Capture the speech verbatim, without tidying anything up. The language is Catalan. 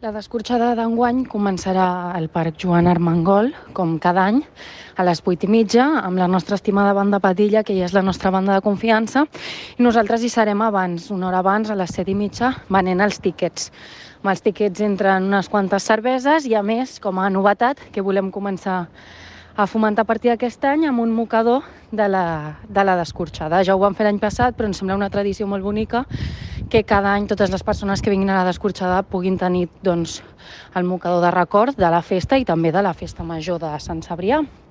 La descorxada d'enguany començarà al Parc Joan Armengol, com cada any, a les vuit i mitja, amb la nostra estimada banda Padilla, que ja és la nostra banda de confiança, i nosaltres hi serem abans, una hora abans, a les set i mitja, venent els tíquets. Amb els tíquets entren unes quantes cerveses i, a més, com a novetat, que volem començar a fomentar a partir d'aquest any amb un mocador de la, de la descorxada. Ja ho vam fer l'any passat, però ens sembla una tradició molt bonica que cada any totes les persones que vinguin a la descorxada puguin tenir doncs, el mocador de record de la festa i també de la festa major de Sant Cebrià.